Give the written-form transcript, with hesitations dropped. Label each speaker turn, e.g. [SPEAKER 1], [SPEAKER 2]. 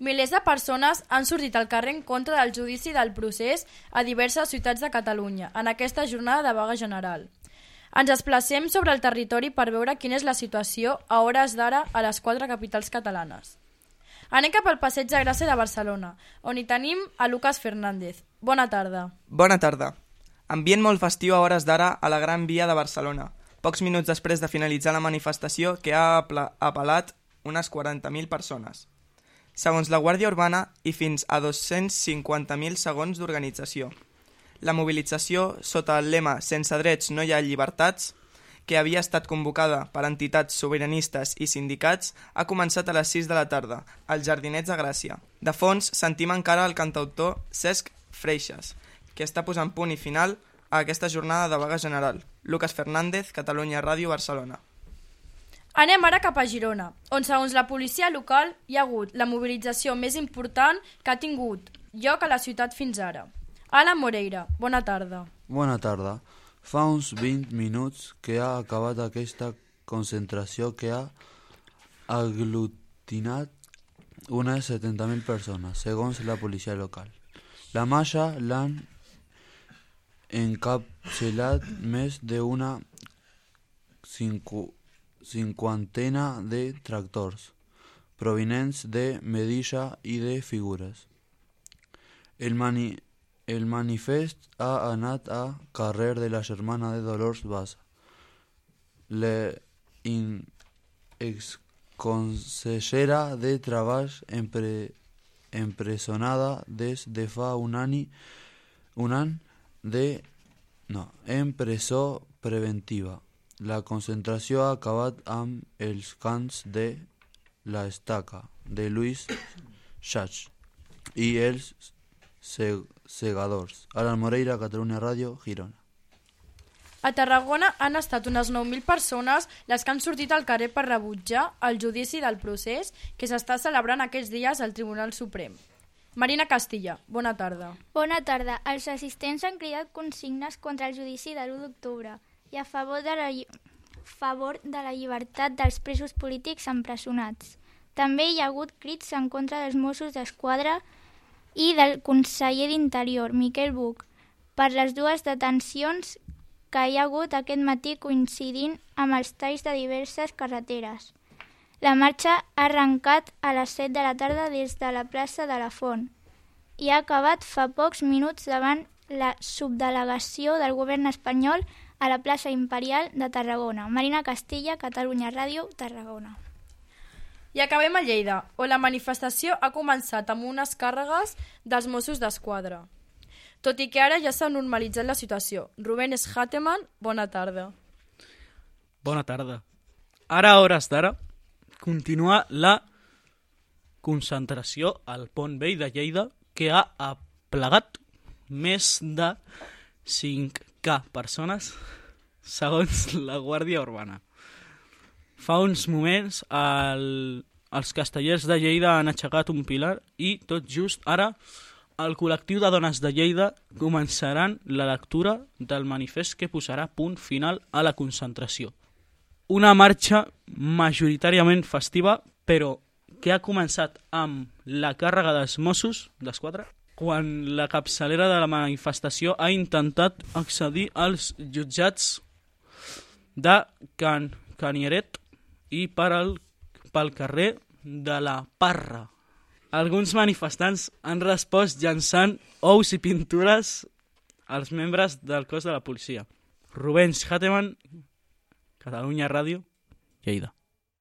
[SPEAKER 1] Milers de persones han sortit al carrer en contra del judici del procés a diverses ciutats de Catalunya en aquesta jornada de vaga general. Ens desplacem sobre el territori per veure quina és la situació a hores d'ara a les 4 capitals catalanes. Anem cap al Passeig de Gràcia de Barcelona, on hi tenim a Lucas Fernández. Bona tarda.
[SPEAKER 2] Bona tarda. Ambient molt festiu a hores d'ara a la Gran Via de Barcelona, pocs minuts després de finalitzar la manifestació que ha apel·lat unes 40.000 persones. Segons la Guàrdia Urbana i fins a 250.000 segons d'organització. La mobilització, sota el lema «Sense drets no hi ha llibertats», que havia estat convocada per entitats sobiranistes i sindicats, ha començat a les 6 de la tarda, als Jardinets de Gràcia. De fons, sentim encara el cantautor Cesc Freixas, que està posant punt i final a aquesta jornada de vaga general. Lucas Fernández, Catalunya Ràdio, Barcelona.
[SPEAKER 1] Anem ara cap a Girona, on segons la policia local hi ha hagut la mobilització més important que ha tingut lloc a la ciutat fins ara. Alan Moreira, bona tarda.
[SPEAKER 3] Bona tarda. Fa uns 20 minuts que ha acabat aquesta concentració que ha aglutinat unes 70.000 persones, segons la policia local. La marxa l'han encapçalat més d'una cinquantena de tractors, provinents de Medilla i de Figures. El manifest ha anat a carrer de la germana de Dolors Bassa. La exconsellera de Treball empresonada des de fa un any en presó preventiva. La concentració ha acabat amb els cants de La Estaca, de Luis Sachs, i els segadors. Alan Moreira, Catalunya Ràdio, Girona.
[SPEAKER 1] A Tarragona han estat unes 9.000 persones les que han sortit al carrer per rebutjar el judici del procés que s'està celebrant aquests dies al Tribunal Suprem. Marina Castilla, bona tarda.
[SPEAKER 4] Bona tarda. Els assistents han cridat consignes contra el judici de l'1 d'octubre i a favor de la llibertat dels presos polítics empresonats. També hi ha hagut crits en contra dels Mossos d'Esquadra i del conseller d'Interior, Miquel Buch, per les dues detencions que hi ha hagut aquest matí coincidint amb els talls de diverses carreteres. La marxa ha arrencat a les 7 de la tarda des de la plaça de la Font i ha acabat fa pocs minuts davant la subdelegació del govern espanyol a la plaça Imperial de Tarragona. Marina Castilla, Catalunya Ràdio, Tarragona.
[SPEAKER 1] I acabem a Lleida, on la manifestació ha començat amb unes càrregues dels Mossos d'Esquadra. Tot i que ara ja s'ha normalitzat la situació. Rubén Schateman, bona tarda.
[SPEAKER 5] Bona tarda. Ara, a hores d'ara, continua la concentració al Pont Vell de Lleida, que ha aplegat més de 5.000 persones, segons la Guàrdia Urbana. Fa uns moments els castellers de Lleida han aixecat un pilar i tot just ara el col·lectiu de dones de Lleida començaran la lectura del manifest que posarà punt final a la concentració. Una marxa majoritàriament festiva, però que ha començat amb la càrrega dels Mossos d'Esquadra quan la capçalera de la manifestació ha intentat accedir als jutjats de Canieret i pel carrer de la Parra. Alguns manifestants han respost llançant ous i pintures als membres del cos de la policia. Rubén Schateman, Catalunya Ràdio, Lleida.